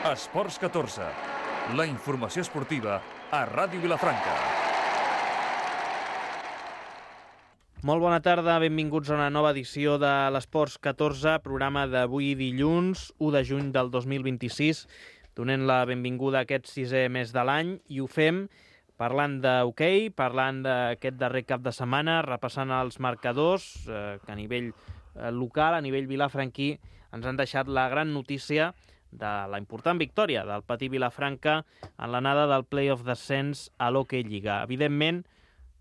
Esports 14, la informació esportiva a Ràdio Vilafranca. Molt bona tarda, benvinguts a una nova edició de l'Esports 14, programa d'avui dilluns, 1 de juny del 2026. Donem la benvinguda a aquest sisè mes de l'any i ho fem parlant d'hoquei, parlant d'aquest darrer cap de setmana, repassant els marcadors que a nivell local, a nivell vilafranquí, ens han deixat la gran notícia de la important victòria del Patí Vilafranca en l'anada del play-off d'ascens a l'Hockey Lliga. Evidentment,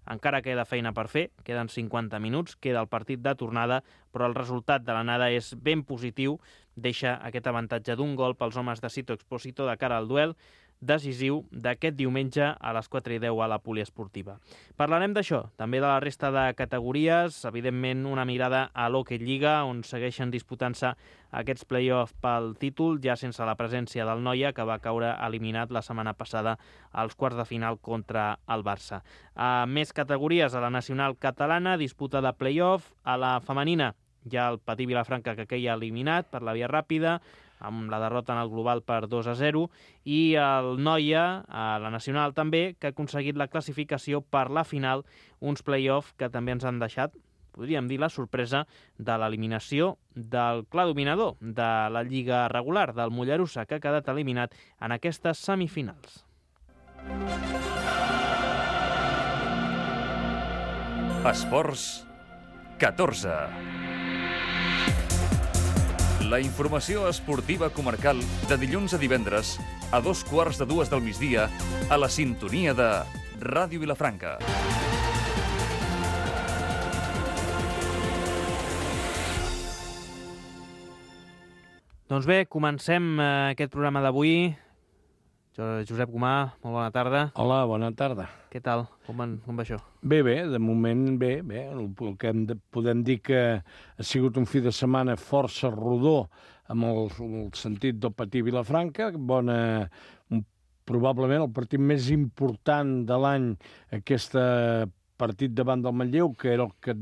encara queda feina per fer, queden 50 minuts, queda el partit de tornada, però el resultat de l'anada és ben positiu, deixa aquest avantatge d'un gol pels homes de Sito Expósito de cara al duel decisiu d'aquest diumenge a les 4:10 a la poliesportiva. Parlarem d'això, també de la resta de categories, evidentment una mirada a l'Hockey Lliga, on segueixen disputant-se aquests play-off pel títol, ja sense la presència del Noia, que va caure eliminat la setmana passada als quarts de final contra el Barça. A més categories, a la nacional catalana, disputa de play-off, a la femenina, ja el Patí Vilafranca que queia eliminat per la via ràpida, amb la derrota en el global per 2-0, i el Noia, a la nacional també, que ha aconseguit la classificació per la final, uns play-off que també ens han deixat, podríem dir, la sorpresa de l'eliminació del clar dominador de la Lliga regular, del Mollerussa, que ha quedat eliminat en aquestes semifinals. Esports 14. La informació esportiva comarcal de dilluns a divendres a 2:15 del migdia a la sintonia de Ràdio Vilafranca. Doncs bé, comencem aquest programa d'avui. Josep Gomà, molt bona tarda. Hola, bona tarda. Què tal? Com va això? Bé, de moment bé. El que podem dir que ha sigut un fi de setmana força rodó amb el sentit del Patí Vilafranca. Probablement el partit més important de l'any, aquest partit davant del Manlleu, que era el que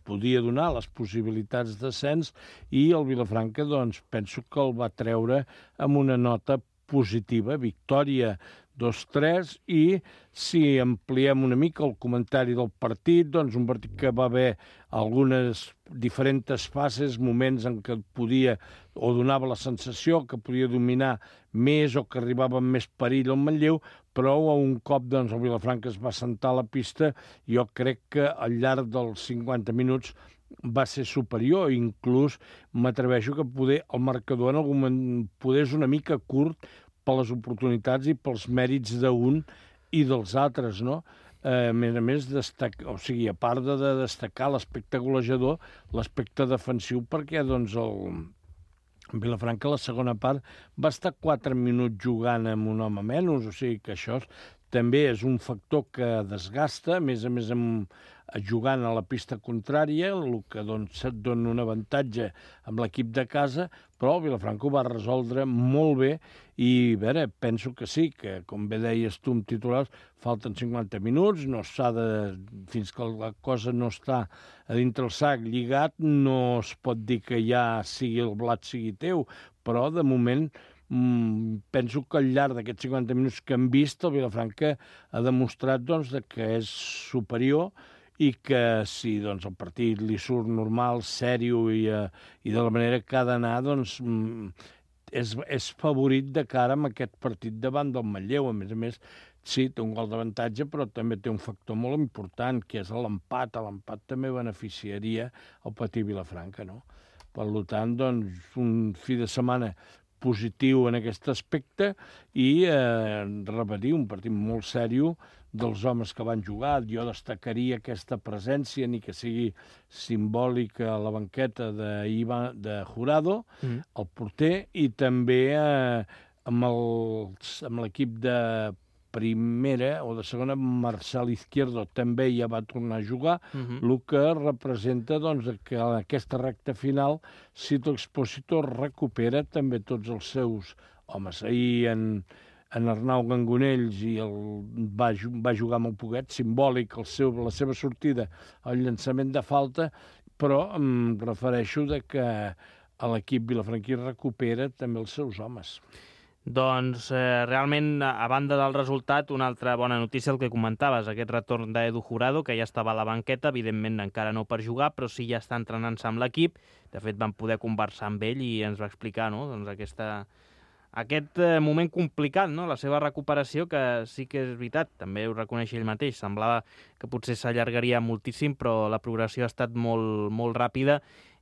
podia donar les possibilitats d'ascens, i el Vilafranca, doncs, penso que el va treure amb una nota positiva, victòria 2-3, i si ampliem una mica el comentari del partit, doncs un partit que va haver algunes diferents fases, moments en què podia o donava la sensació que podia dominar més o que arribava amb més perill al Manlleu, però a un cop doncs, el Vilafranca es va assentar a la pista. Jo crec que al llarg dels 50 minuts va ser superior, inclús m'atreveixo que el marcador en algun moment és una mica curt per les oportunitats i pels mèrits d'un i dels altres, no? A més, a part de destacar l'aspecte golejador, l'aspecte defensiu, perquè doncs, el Vilafranca a la segona part va estar 4 minuts jugant amb un home menys, o sigui que això també és un factor que desgasta, a més jugant a la pista contrària, el que doncs, et dona un avantatge amb l'equip de casa, però el Vilafranca ho va resoldre molt bé i, penso que sí, que com bé deies tu amb titulars, falten 50 minuts, fins que la cosa no està a dintre el sac lligat, no es pot dir que ja el blat sigui teu, però de moment penso que al llarg d'aquests 50 minuts que hem vist, el Vilafranca ha demostrat doncs, que és superior i que si doncs, el partit li surt normal, sèrio i de la manera que ha d'anar, doncs, és favorit de cara a aquest partit davant del Manlleu. A més, sí, té un gol d'avantatge, però també té un factor molt important, que és l'empat. L'empat també beneficiaria el Patí Vilafranca, no? Per tant, doncs, un fi de setmana positiu en aquest aspecte i repetir, un partit molt sèrio dels homes que van jugar. Jo destacaria aquesta presència, ni que sigui simbòlica, a la banqueta de Jurado, el porter, i també amb l'equip de primera o de segona, Marcel Izquierdo també ja va tornar a jugar, el que representa doncs, que en aquesta recta final Sito Expósito recupera també tots els seus homes. Ahir en Arnau Gangonells va jugar molt poquet, simbòlic la seva sortida al llançament de falta, però em refereixo que l'equip vilafranquí recupera també els seus homes. Doncs realment, a banda del resultat, una altra bona notícia, el que comentaves, aquest retorn d'Edu Jurado, que ja estava a la banqueta, evidentment encara no per jugar, però sí ja està entrenant-se amb l'equip. De fet, vam poder conversar amb ell i ens va explicar, no?, doncs aquest moment complicat, no?, la seva recuperació, que sí que és veritat, també ho reconeix ell mateix, semblava que potser s'allargaria moltíssim, però la progressió ha estat molt, molt ràpida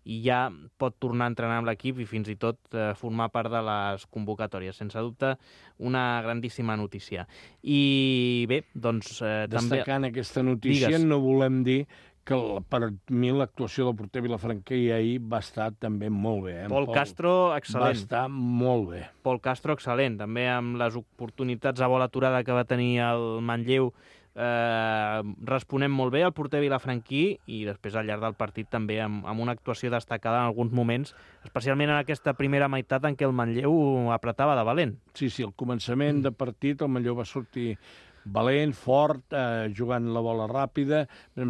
i ja pot tornar a entrenar amb l'equip i fins i tot formar part de les convocatòries. Sense dubte, una grandíssima notícia. I bé, doncs també... Destacant aquesta notícia, Digues. no volem dir que per mi l'actuació del porter vilafranquí ahir va estar també molt bé. Pol Castro, excel·lent. Va estar molt bé. Pol Castro, excel·lent. També amb les oportunitats a bola aturada que va tenir el Manlleu, responem molt bé al porter vilafranquí i després al llarg del partit també amb una actuació destacada en alguns moments, especialment en aquesta primera meitat en què el Manlleu apretava de valent. Sí, al començament de partit el Manlleu va sortir valent, fort, jugant la bola ràpida,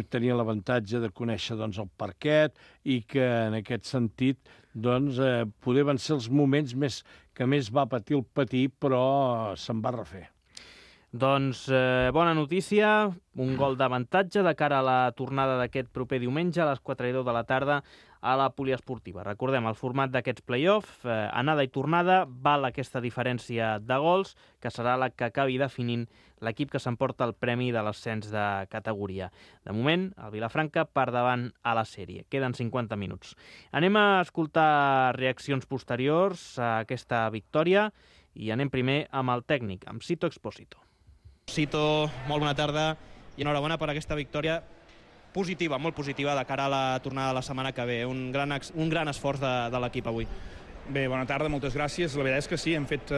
tenia l'avantatge de conèixer el parquet i que en aquest sentit poder van ser els moments que més va patir el Patí, però se'n va refer. Doncs bona notícia, un gol d'avantatge de cara a la tornada d'aquest proper diumenge a les 4:10 de la tarda a la poliesportiva. Recordem, el format d'aquests play-off, anada i tornada, val aquesta diferència de gols, que serà la que acabi definint l'equip que s'emporta el premi de l'ascens de categoria. De moment, el Vilafranca per davant a la sèrie. Queden 50 minuts. Anem a escoltar reaccions posteriors a aquesta victòria i anem primer amb el tècnic, amb Sito Expósito. Sito, molt bona tarda i enhorabona per aquesta victòria positiva, molt positiva, de cara a la tornada de la setmana que ve. Un gran esforç de l'equip avui. Bé, bona tarda, moltes gràcies. La veritat és que sí, hem fet,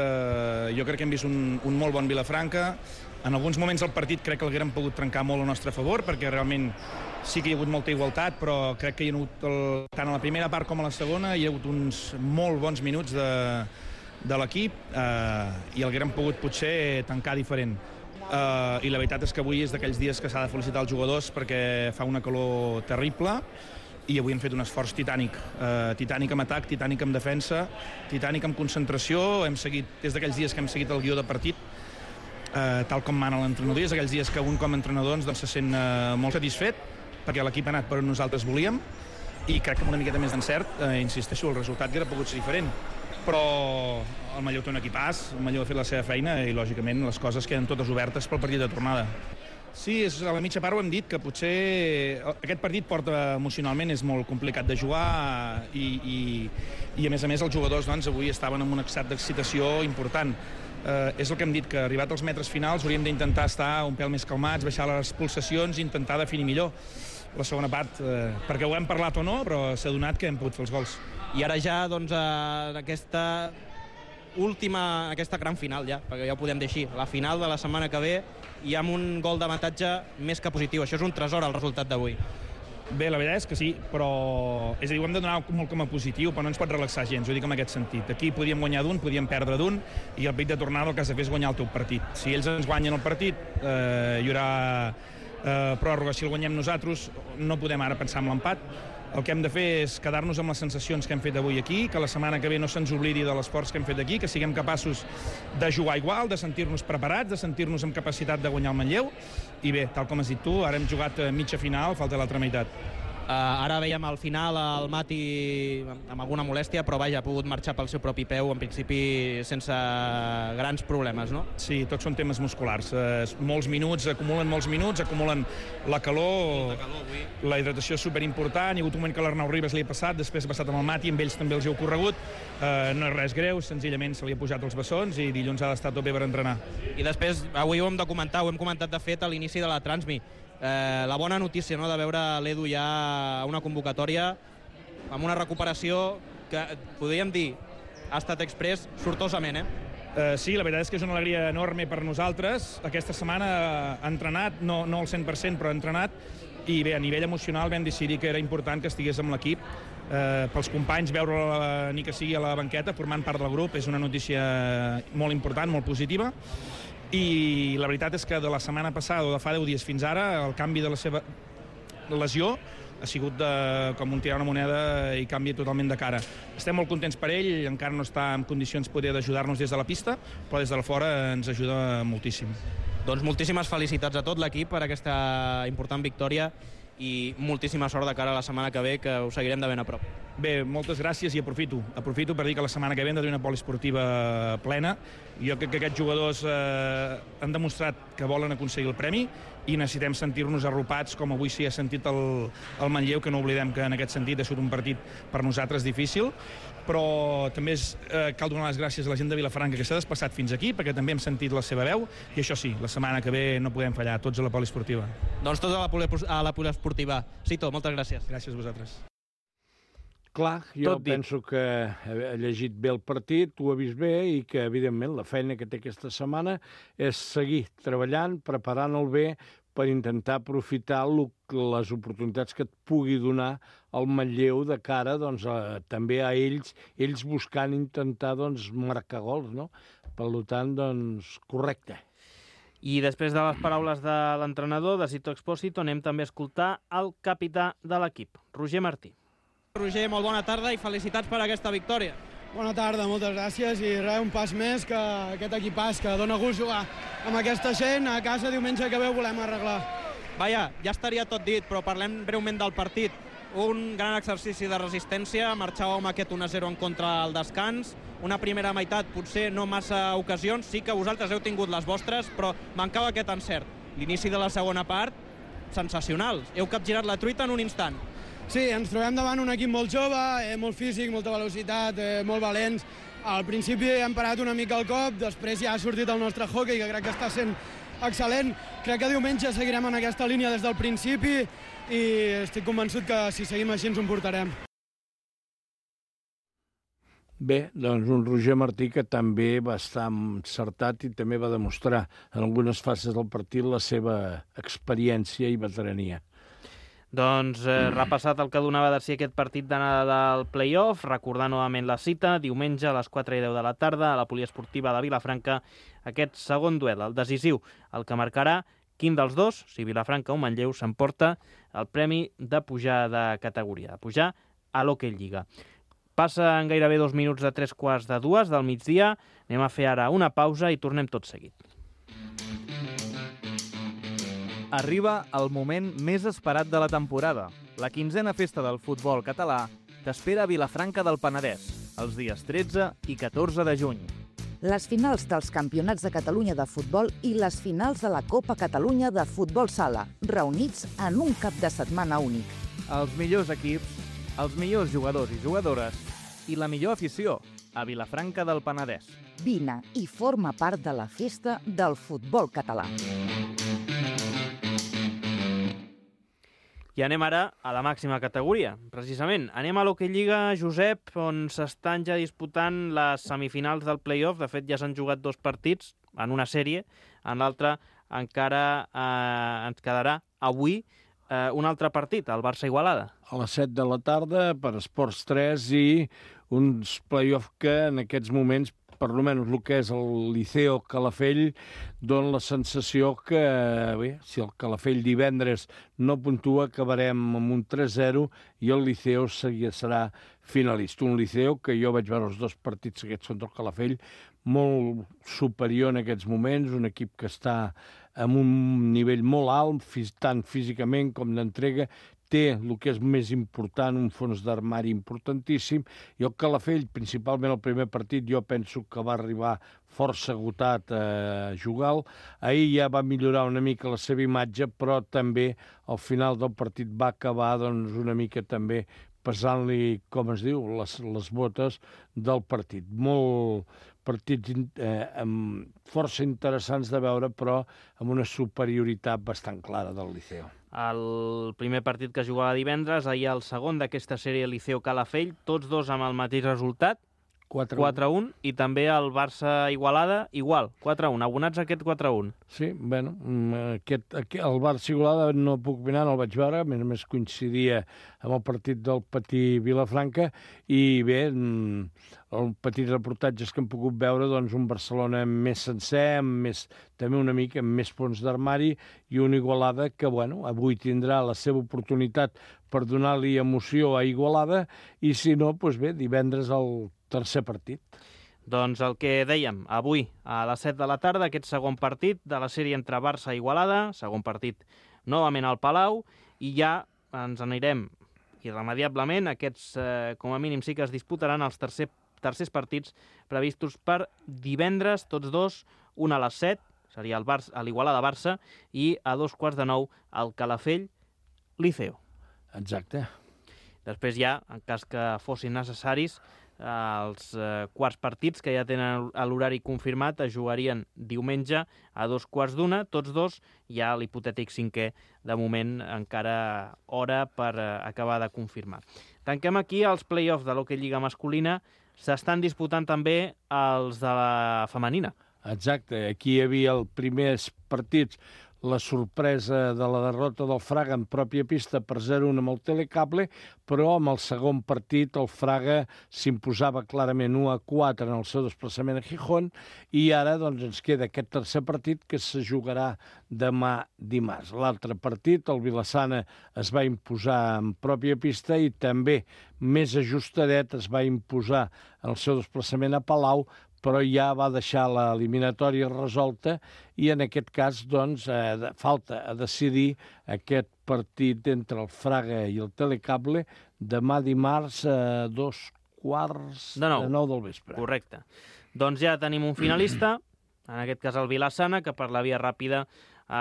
jo crec que hem vist un molt bon Vilafranca. En alguns moments del partit crec que l'haguérem pogut trencar molt al nostre favor, perquè realment sí que hi ha hagut molta igualtat, però crec que hi ha hagut, tant a la primera part com a la segona, hi ha hagut uns molt bons minuts de l'equip i l'haguérem pogut potser tancar diferent. I la veritat és que avui és d'aquells dies que s'ha de felicitar els jugadors perquè fa una calor terrible i avui hem fet un esforç titànic. Titànic amb atac, titànic amb defensa, titànic amb concentració. Hem seguit, és d'aquells dies que hem seguit el guió de partit tal com mana l'entrenador. És d'aquells dies que un com a entrenador se sent molt satisfet perquè l'equip ha anat per on nosaltres volíem i crec que amb una miqueta més d'encert, insisteixo, el resultat hauria pogut ser diferent. Però el Manlleu té un equipàs, el Manlleu ha fet la seva feina i, lògicament, les coses queden totes obertes pel partit de tornada. Sí, a la mitja part ho hem dit, que potser aquest partit emocionalment és molt complicat de jugar i a més, els jugadors avui estaven en un estat d'excitació important. És el que hem dit, que arribat als metres finals hauríem d'intentar estar un pèl més calmats, baixar les pulsacions i intentar definir millor la segona part, perquè ho hem parlat o no, però s'ha donat que hem pogut fer els gols. I ara ja, doncs, aquesta gran final, ja, perquè ja ho podem dir així, la final de la setmana que ve, i amb un gol d'avantatge més que positiu. Això és un tresor, el resultat d'avui. Bé, la veritat és que sí, però és a dir, ho hem de donar molt com a positiu, però no ens pot relaxar gens, ho dic en aquest sentit. Aquí podíem guanyar d'un, podíem perdre d'un, i el partit de tornada el que has de fer és guanyar el teu partit. Si ells ens guanyen el partit, hi haurà pròrroga. Si el guanyem nosaltres, no podem ara pensar en l'empat. El que hem de fer és quedar-nos amb les sensacions que hem fet avui aquí, que la setmana que ve no se'ns oblidi de l'esforç que hem fet aquí, que siguem capaços de jugar igual, de sentir-nos preparats, de sentir-nos amb capacitat de guanyar el Manlleu. I bé, tal com has dit tu, ara hem jugat mitja final, falta l'altra meitat. Ara veiem al final el Mati amb alguna molèstia, però vaja, ha pogut marxar pel seu propi peu, en principi sense grans problemes, no? Sí, tots són temes musculars. Molts minuts, acumulen la calor, la hidratació és superimportant. Hi ha hagut un moment que l'Arnau Ribas li ha passat, després ha passat amb el Mati, amb ells també els hi ha ocorregut. No és res greu, senzillament se li ha pujat els bessons i dilluns ha d'estar tot bé per entrenar. I després, avui ho hem de comentar, ho hem comentat de fet a l'inici de la Transmi. La bona notícia, no?, de veure l'Edu ja a una convocatòria amb una recuperació que, podríem dir, ha estat express sortosament, Sí, la veritat és que és una alegria enorme per nosaltres. Aquesta setmana ha entrenat, no al 100%, però ha entrenat, i bé, a nivell emocional vam decidir que era important que estigués amb l'equip. Pels companys, veure-la ni que sigui a la banqueta, formant part del grup, és una notícia molt important, molt positiva. I la veritat és que de la setmana passada o de fa 10 dies fins ara, el canvi de la seva lesió ha sigut com un tirar una moneda i canvia totalment de cara. Estem molt contents per ell, encara no està en condicions poder d'ajudar-nos des de la pista, però des de la fora ens ajuda moltíssim. Doncs moltíssimes felicitats a tot l'equip per aquesta important victòria i moltíssima sort de cara a la setmana que ve, que ho seguirem de ben a prop. Bé, moltes gràcies i aprofito per dir que la setmana que ve hem de tenir una poliesportiva plena. Jo crec que aquests jugadors han demostrat que volen aconseguir el premi i necessitem sentir-nos arropats, com avui s'hi ha sentit el Manlleu, que no oblidem que en aquest sentit ha sigut un partit per nosaltres difícil, però també cal donar les gràcies a la gent de Vilafranca que s'ha desplaçat fins aquí, perquè també hem sentit la seva veu, i això sí, la setmana que ve no podem fallar, tots a la poliesportiva. Doncs tots a la poliesportiva. Cito, moltes gràcies. Gràcies a vosaltres. Clar, jo penso que ha llegit bé el partit, ho ha vist bé i que, evidentment, la feina que té aquesta setmana és seguir treballant, preparant-el bé per intentar aprofitar les oportunitats que et pugui donar el Manlleu de cara també a ells buscant intentar marcar gols, no? Per tant, correcte. I després de les paraules de l'entrenador, de Sito Expósito, anem també a escoltar el capità de l'equip, Roger Martí. Roger, molt bona tarda i felicitats per aquesta victòria. Bona tarda, moltes gràcies i res, un pas més que aquest equipàs que dona gust jugar amb aquesta gent. A casa diumenge que ve ho volem arreglar. Vaja, ja estaria tot dit, però parlem breument del partit. Un gran exercici de resistència, marxàveu amb aquest 1-0 en contra al descans, una primera meitat, potser no massa ocasions, sí que vosaltres heu tingut les vostres, però mancava aquest encert. L'inici de la segona part, sensacional. Heu capgirat la truita en un instant. Sí, ens trobem davant un equip molt jove, molt físic, molta velocitat, molt valents. Al principi hem parat una mica el cop, després ja ha sortit el nostre hockey, que crec que està sent excel·lent. Crec que diumenge seguirem en aquesta línia des del principi i estic convençut que si seguim així ens ho portarem. Bé, doncs un Roger Martí que també va estar encertat i també va demostrar en algunes fases del partit la seva experiència i veterania. Doncs repassat el que donava de si aquest partit d'anada del play-off, recordar novament la cita, diumenge a les 4:10 de la tarda a la poliesportiva de Vilafranca, aquest segon duel, el decisiu, el que marcarà quin dels dos, si Vilafranca o Manlleu, s'emporta el premi de pujar de categoria, de pujar a l'Hockey Lliga. Passen gairebé 2 minuts de 3:15 del migdia, anem a fer ara una pausa i tornem tot seguit. Arriba el moment més esperat de la temporada. La 15a festa del futbol català t'espera a Vilafranca del Penedès, els dies 13 i 14 de juny. Les finals dels Campionats de Catalunya de futbol i les finals de la Copa Catalunya de futbol sala, reunits en un cap de setmana únic. Els millors equips, els millors jugadors i jugadores i la millor afició a Vilafranca del Penedès. Vine i forma part de la festa del futbol català. I anem ara a la màxima categoria. Precisament, anem a l'Hockey Lliga, Josep, on s'estan ja disputant les semifinals del play-off. De fet, ja s'han jugat 2 partits en una sèrie. En l'altra encara ens quedarà avui un altre partit, el Barça-Igualada. A les 7 de la tarda per Esports 3 i uns play-off que en aquests moments, per almenys el que és el Liceo Calafell, dona la sensació que, bé, si el Calafell divendres no puntua, acabarem amb un 3-0 i el Liceo serà finalista. Un Liceo que jo vaig veure els 2 partits aquests contra el Calafell molt superior en aquests moments, un equip que està amb un nivell molt alt, tant físicament com d'entrega, té el que és més important, un fons d'armari importantíssim, i el Calafell, principalment el primer partit, jo penso que va arribar força agotat a jugar. Ahir ja va millorar una mica la seva imatge, però també al final del partit va acabar una mica també pesant-li, com es diu, les botes del partit. Molt partits força interessants de veure, però amb una superioritat bastant clara del Liceo. El primer partit que jugava divendres, ahir el segon d'aquesta sèrie Liceo-Calafell, tots dos amb el mateix resultat. 4-1, i també el Barça-Igualada, igual, 4-1, abonats a aquest 4-1. Sí, bueno, el Barça-Igualada no puc opinar, no el vaig veure, a més a més coincidia amb el partit del Patí-Vilafranca, i bé, el petit reportatges que hem pogut veure, doncs un Barcelona més sencer, també una mica amb més fons d'armari, i una Igualada que, bueno, avui tindrà la seva oportunitat per donar-li emoció a Igualada, i si no, doncs bé, divendres el tercer partit. Doncs el que dèiem, avui a les 7 de la tarda, aquest segon partit de la sèrie entre Barça i Igualada, segon partit novament al Palau, i ja ens anirem irremediablement. Aquests, com a mínim, sí que es disputaran els tercers partits previstos per divendres, tots dos, un a les 7, seria l'Igualada-Barça, i a 8:45 el Calafell-Liceo. Exacte. Després ja, en cas que fossin necessaris, els quarts partits que ja tenen l'horari confirmat es jugarien diumenge a 2:15, tots dos, ja l'hipotètic cinquè, de moment encara hora per acabar de confirmar. Tanquem aquí els play-offs de l'Hockey Lliga masculina. S'estan disputant també els de la femenina. Exacte, aquí hi havia els primers partits, la sorpresa de la derrota del Fraga en pròpia pista per 0-1 amb el Telecable, però amb el segon partit el Fraga s'imposava clarament 1-4 en el seu desplaçament a Gijón, i ara doncs ens queda aquest tercer partit que se jugarà demà dimarts. L'altre partit, el Vilassana, es va imposar en pròpia pista i també més ajustadet es va imposar en el seu desplaçament a Palau, però ja va deixar l'eliminatòria resolta, i en aquest cas doncs, falta a decidir aquest partit entre el Fraga i el Telecable demà dimarts a 8:15 del vespre. Correcte. Doncs ja tenim un finalista, en aquest cas el Vilassana, que per la via ràpida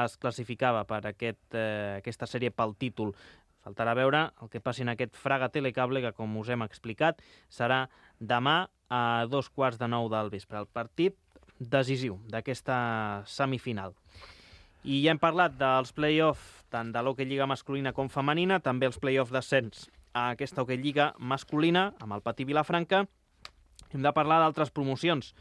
es classificava per aquesta sèrie pel títol. Faltarà veure el que passi en aquest Fraga-Telecable, que, com us hem explicat, serà demà a 8:15 del vespre, el partit decisiu d'aquesta semifinal. I ja hem parlat dels play-off tant de l'Hockey Lliga masculina com femenina, també els play-off d'ascens a aquesta Hockey Lliga masculina, amb el Patí Vilafranca. Hem de parlar d'altres promocions.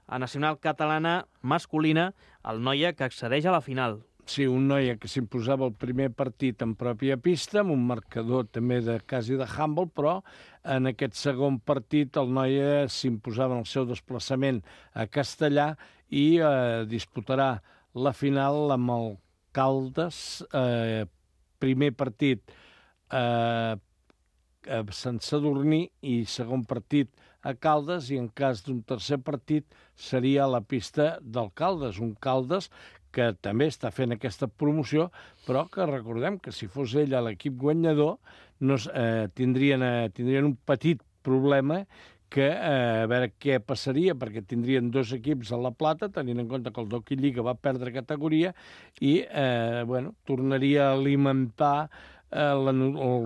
A Nacional Catalana masculina, el Noia, que accedeix a la final. Sí, un Noia que s'imposava el primer partit en pròpia pista, amb un marcador també quasi de handball, però en aquest segon partit el Noia s'imposava en el seu desplaçament a Castellà i disputarà la final amb el Caldes, primer partit a Sant Sadurní i segon partit a Caldes, i en cas d'un tercer partit seria a la pista del Caldes, un Caldes que també està fent aquesta promoció, però que recordem que si fos ell a l'equip guanyador tindrien un petit problema que a veure què passaria, perquè tindrien dos equips a la plata, tenint en compte que el Hockey Lliga va perdre categoria, i tornaria a alimentar el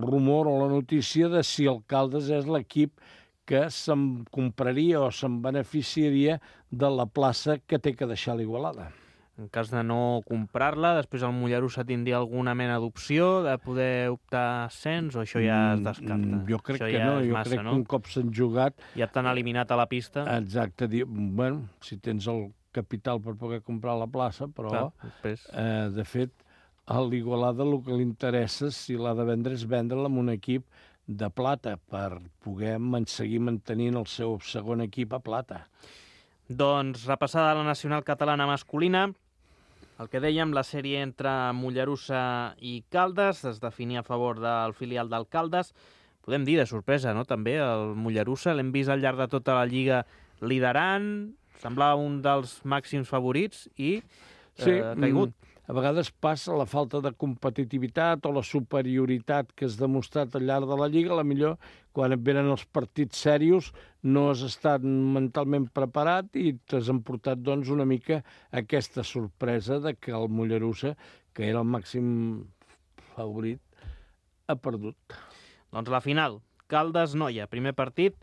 rumor o la notícia de si el Caldes és l'equip que se'n compraria o se'n beneficiaria de la plaça que té que deixar l'Igualada. En cas de no comprar-la, després el Mollerussa tindria alguna mena d'opció de poder optar a ascens, o això ja es descarta? Jo crec que no, crec que un cop s'han jugat... Ja t'han eliminat a la pista. Exacte, bueno, si tens el capital per poder comprar la plaça, però, de fet, a l'Igualada el que li interessa, si l'ha de vendre, és vendre-la amb un equip de plata, per poder seguir mantenint el seu segon equip a plata. Doncs, repassada la Nacional Catalana masculina, el que dèiem, la sèrie entre Mollerussa i Caldes es definia a favor del filial del Caldes. Podem dir, de sorpresa, no?, també, el Mollerussa. L'hem vist al llarg de tota la Lliga liderant, semblava un dels màxims favorits i caigut. A vegades passa la falta de competitivitat o la superioritat que has demostrat al llarg de la Lliga. A la millor, quan et venen els partits serios, no has estat mentalment preparat i t'has emportat doncs, una mica aquesta sorpresa de que el Mollerussa, que era el màxim favorit, ha perdut. Doncs la final, Caldes-Noia, primer partit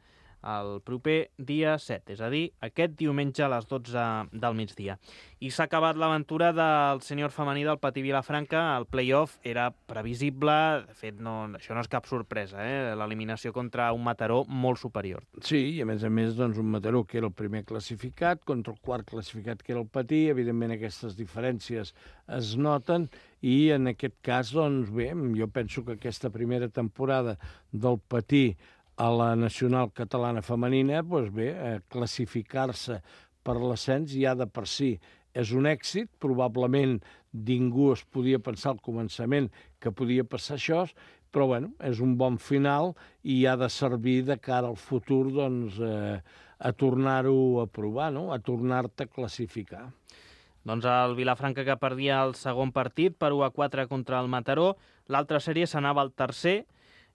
el proper dia 7, és a dir, aquest diumenge a les 12 del migdia. I s'ha acabat l'aventura del sènior femení del Patí Vilafranca. El play-off era previsible, de fet, això no és cap sorpresa, l'eliminació contra un Mataró molt superior. Sí, i a més, doncs, un Mataró que era el primer classificat contra el quart classificat que era el Patí. Evidentment, aquestes diferències es noten i en aquest cas, doncs bé, jo penso que aquesta primera temporada del Patí a la nacional catalana femenina, doncs bé, classificar-se per l'ascens ja de per si és un èxit. Probablement ningú es podia pensar al començament que podia passar això, però bueno, és un bon final i ha de servir de cara al futur doncs, a tornar-ho a provar, no? A tornar-te a classificar. Doncs el Vilafranca que perdia el segon partit per 1-4 contra el Mataró. L'altra sèrie s'anava al tercer,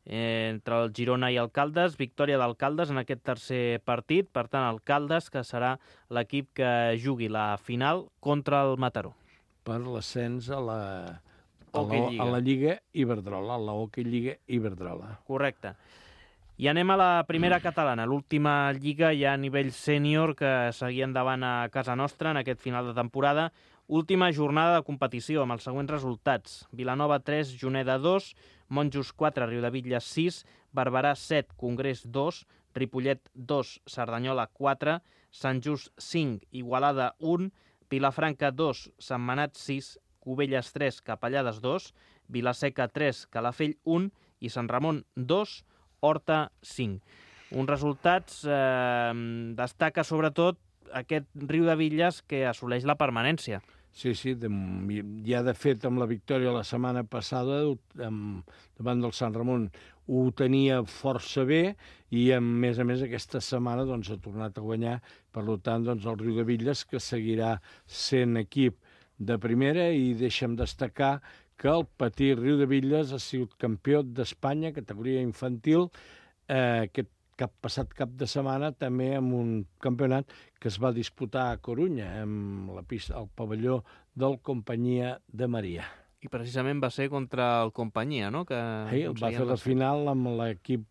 entre el Girona i el Caldes, victòria del Caldes en aquest tercer partit, per tant el Caldes que serà l'equip que jugui la final contra el Mataró. Per l'ascens a la Lliga Iberdrola, a la Hockey Lliga Iberdrola. Correcte. I anem a la primera catalana, l'última lliga ja a nivell sènior que seguia endavant a casa nostra en aquest final de temporada. Última jornada de competició amb els següents resultats. Vilanova 3, Juneda 2, Monjos 4, Riudebitlles 6, Barberà 7, Congrés 2, Ripollet 2, Cerdanyola 4, Sant Just 5, Igualada 1, Vilafranca 2, Sentmenat 6, Cubelles 3, Capellades 2, Vilaseca 3, Calafell 1 i Sant Ramon 2, Horta 5. Uns resultats destaca sobretot aquest Riudebitlles que assoleix la permanència. Sí, ja de fet amb la victòria la setmana passada davant del Sant Ramon ho tenia força bé i a més aquesta setmana doncs, ha tornat a guanyar, per tant doncs, el Riudebitlles que seguirà sent equip de primera i deixa'm destacar que el Patí Riudebitlles ha sigut campió d'Espanya, categoria infantil, aquest passat cap de setmana també amb un campionat que es va disputar a Corunya, amb la pista, el pavelló del Companyia de Maria. I precisament va ser contra el Companyia, no? Que va fer la final amb l'equip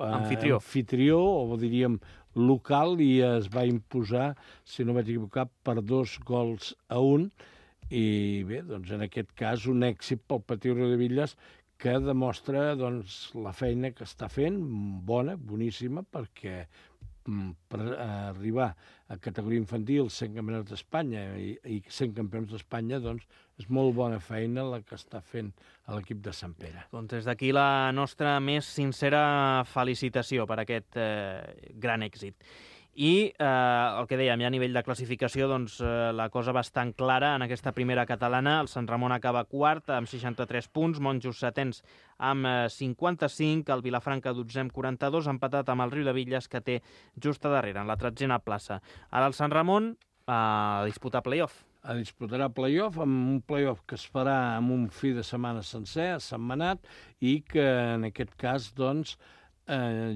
anfitrió, o diríem local, i es va imposar, si no vaig equivocar, per 2-1. I bé, doncs en aquest cas un èxit pel Patí Riudebitlles que demostra doncs, la feina que està fent, bona, boníssima, perquè per arribar a categoria infantil, 100 campionats d'Espanya i 100 campions d'Espanya, doncs és molt bona feina la que està fent a l'equip de Sant Pere. Doncs des d'aquí la nostra més sincera felicitació per aquest gran èxit. I el que dèiem, ja a nivell de classificació, doncs, la cosa bastant clara en aquesta primera catalana. El Sant Ramon acaba quart amb 63 punts, Monjos setens amb 55, el Vilafranca 12 amb 42, empatat amb el Riudebitlles que té just a darrere, en la 13a plaça. Ara el Sant Ramon a disputar play-off. Disputarà play-off, amb un play-off que es farà amb un fi de setmana sencer, a Sentmenat, i que en aquest cas, doncs,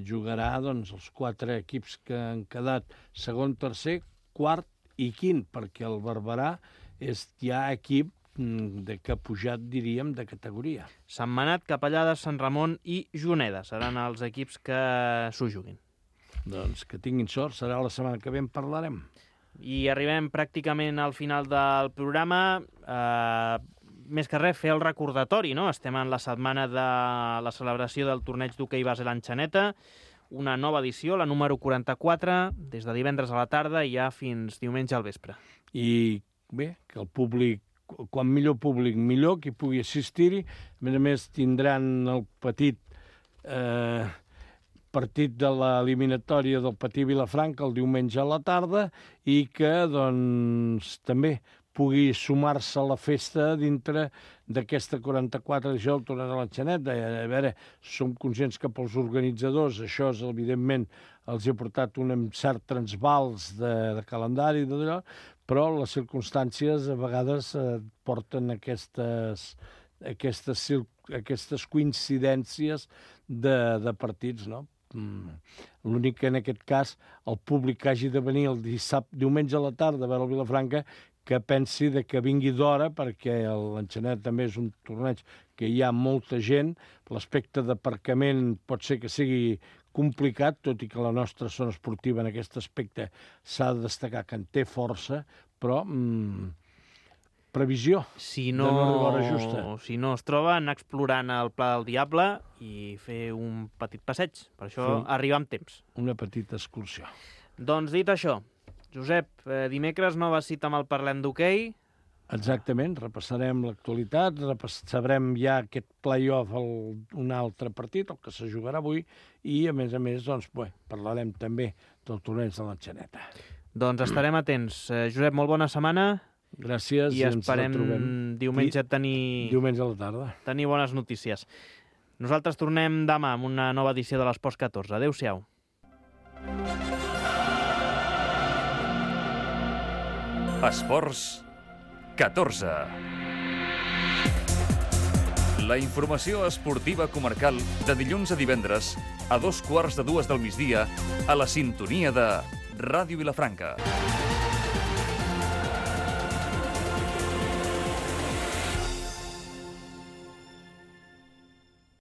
jugarà doncs, els 4 equips que han quedat segon, tercer, quart i quint, perquè el Barberà és ja equip que ha pujat, diríem, de categoria. Sentmenat, Capellades, Sant Ramon i Juneda seran els equips que s'ho juguin. Doncs que tinguin sort, serà la setmana que ve en parlarem. I arribem pràcticament al final del programa. Més que res, fer el recordatori, no? Estem en la setmana de la celebració del torneig d'hoquei base l'Enxaneta, una nova edició, la número 44, des de divendres a la tarda i ja fins diumenge al vespre. I bé, que el públic, quan millor públic, millor, qui pugui assistir-hi. A més, tindran el petit partit de l'eliminatòria del Patí Vilafranca el diumenge a la tarda i que, doncs, també pugui sumar-se a la festa dintre d'aquesta 44 edició del torneig de l'Enxaneta. A veure, som conscients que pels organitzadors això, evidentment, els ha portat un cert transvals de calendari, però les circumstàncies a vegades porten aquestes coincidències de partits, no? L'únic que en aquest cas el públic que hagi de venir el diumenge a la tarda a veure el Vilafranca que pensi que vingui d'hora, perquè l'Enxaneta també és un torneig que hi ha molta gent, l'aspecte d'aparcament pot ser que sigui complicat, tot i que la nostra zona esportiva en aquest aspecte s'ha de destacar que en té força, però previsió Si de no arribar a hora justa. si no es troba, anar explorant el Pla del Diable i fer un petit passeig. Per això arribar amb temps. Una petita excursió. Doncs dit això, Josep, dimecres nova cita amb el Parlem d'Hoquei. Exactament, repassarem l'actualitat, sabrem ja aquest play-off un altre partit, el que se jugarà avui, i a més, doncs, parlarem també del torneig de l'Enxaneta. Doncs estarem atents. Josep, molt bona setmana. Gràcies i esperem diumenge diumenge a la tarda. Tenir bones notícies. Nosaltres tornem demà amb una nova edició de l'Esports 14. Adéu-siau. Esports 14. La informació esportiva comarcal de dilluns a divendres a 2:15 del migdia a la sintonia de Ràdio Vilafranca.